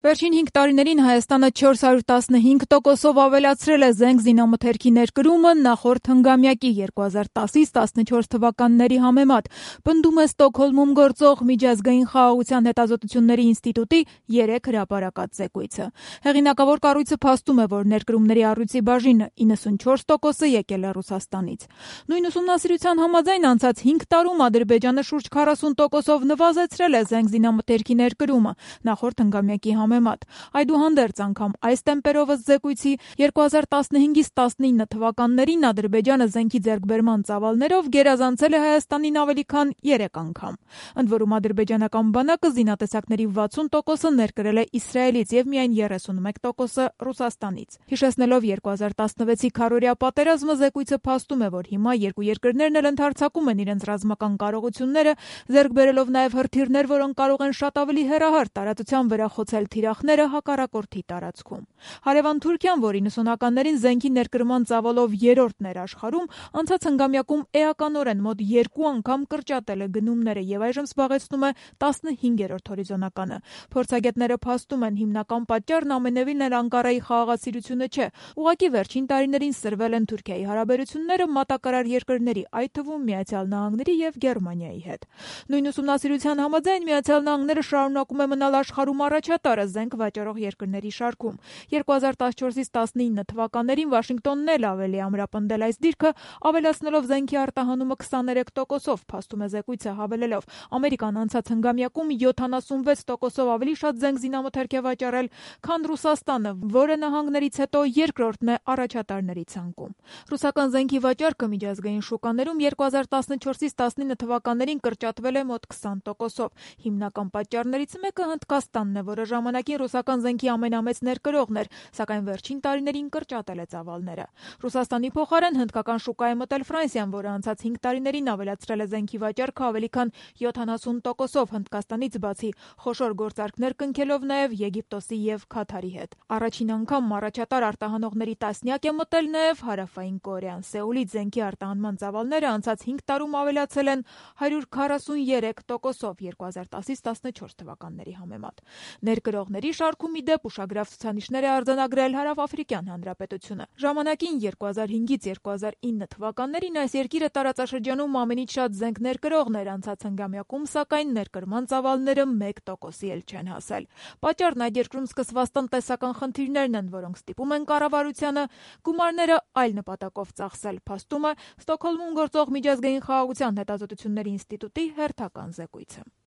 Վերջին 5 տարիներին Հայաստանը 415%-ով ավելացրել է զենք զինամթերքի ներկրումը նախորդ հնգամյակի 2010-14 թվականների համեմատ, պնդում է Ստոկհոլմում գործող Միջազգային խաղաղության հետազոտությունների ինստիտուտի 3 հրապարակած զեկույցը։ Հեղինակավոր կառույցը փաստում է, որ ներկրումների առյուծի բաժինը 94%-ը եկել է Ռուսաստանից։ Նույն ուսումնասիրության համաձայն անցած 5 տարում Ադրբեջանը շուրջ 40%-ով նվազեցրել է զենք զինամթերքի ներկրումը նախորդ հնգամյակի համեմատ։ Այդուհանդերձ անգամ այս տեմպերով ըստ զեկույցի 2015-19 թվականներին Ադրբեջանը զենքի ձեռքբերման ծավալներով գերազանցել է Հայաստանին ավելի քան 3 անգամ։ Ընդ որում ադրբեջանական բանակը զինատեսակների 60%-ը ներկրել է Իսրայելից և միայն 31%-ը Ռուսաստանից։ Հիշեցնելով 2016-ի քառօրյա պատերազմը, զեկույցը փաստում է, որ հիմա երկու երկրներն էլ ընդհարձակում են իրենց ռազմական կարողությունները, ձեռք բերելով նաև հրթիռներ, որոնք կարող են շատ ավելի հեռահար տարածության վրա խոցել թիրախները հակառակորդի տարածքում։ Հարևան Թուրքիան, որ 90-ականներին զենքի ներկրման ծավալով երրորդն էր աշխարհում, անցած հնգամյակում էականորեն մոտ 2 անգամ կրճատել է գնումները և այժմ զբաղեցնում է 15-րդ հորիզոնականը։ Փորձագետները փաստում են, հիմնական պատճառն ամենևին էլ Անկարայի խաղաղասիրությունը չէ, ուղղակի վերջին տարիներին սրվել են Թուրքիայի հարաբերությունները մատակարար երկրների, այդ թվում Միացյալ Նահանգների և Գերմանիայի հետ։ Նույն ուսումնասիրության համաձայն Միացյալ Նահանգները շարունակում է մնալ աշխարհում առաջատարը զենք վաճառող երկրների շարքում։ 2014-19 թվականներին Վաշինգտոնն էլ ավելի ամրապնդել այս դիրքը, ավելացնելով զենքի արտահանումը 23%-ով, փաստում է զեկույցը հավելելով. Ամերիկան անցած հնգամյակում 76%-ով ավելի շատ զենք զինամթերք է վաճառել, քան Ռուսաստանը, որը նահանգներից հետո երկրորդն է առաջատարների ցանկում։ Ռուսական զենքի վաճառքը միջազգային շուկաներում 2014-19 թվականներին կրճատվել է մոտ 20%-ով։ Հիմնական պատճառներից մեկը Հնդկաստանն է, որը ժամանակին ռուսական զենքի ամենամեծ ներկրողն էր, սակայն վերջին տարիներին կրճատել է ծավալները։ Ռուսաստանի փոխարեն հնդկական շուկա է մտել Ֆրանսիան, որը անցած 5 տարիներին ավելացրել է զենքի վաճառքը ավելի քան 70%-ով, Հնդկաստանից բացի խոշոր գործարքներ կնքելով նաև Եգիպտոսի և Քաթարի հետ։ Առաջին անգամ առաջատար արտահանողների տասնյակ է մտել նաև Հարավային Կորեան։ Սեուլից զենքի արտահանման ծավալները անցած 5 տարում ավելացել են 143%-ով 2010-14 թվականների համեմատ։ Ներկրողների շարքում ի դեպ ուշագրավ ցուցանիշներ է արձանագրել Հարավաֆրիկյան Հանրապետությունը։ Ժամանակին 2005-ից 2009 թվականներին այս երկիրը տարածաշրջանում ամենից շատ զենք ներկրողն էր, անցած հնգամյակում սակայն ներկրման ծավալները 1%-ի էլ չեն հասել։ Պատճառն այդ երկրում սկսված տնտեսական խնդիրներն են, որոնք ստիպում են կառավարությանը գումարները այլ նպատակով ծախսել, փաստում է Ստոկհոլմում գործող Միջազգային խաղաղության հետազոտությունների ինստիտուտի հերթական զեկույցը։